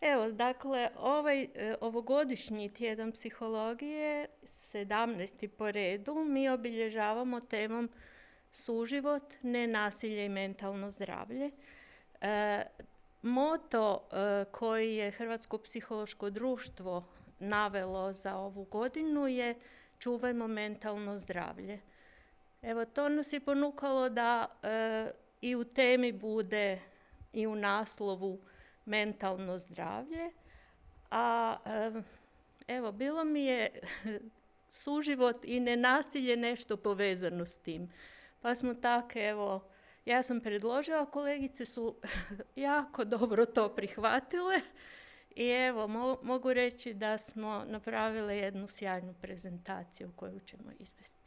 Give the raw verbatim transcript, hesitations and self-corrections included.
Evo, dakle, ovaj e, ovogodišnji tjedan psihologije, sedamnaesti po redu, mi obilježavamo temom suživot, nenasilje i mentalno zdravlje. E, moto e, koji je Hrvatsko psihološko društvo navelo za ovu godinu je čuvajmo mentalno zdravlje. Evo, to nas je ponukalo da e, i u temi bude i u naslovu mentalno zdravlje, a e, evo, bilo mi je suživot i nenasilje nešto povezano s tim. Pa smo tako, evo, ja sam predložila, kolegice su jako dobro to prihvatile i evo, mo- mogu reći da smo napravile jednu sjajnu prezentaciju koju ćemo izvesti.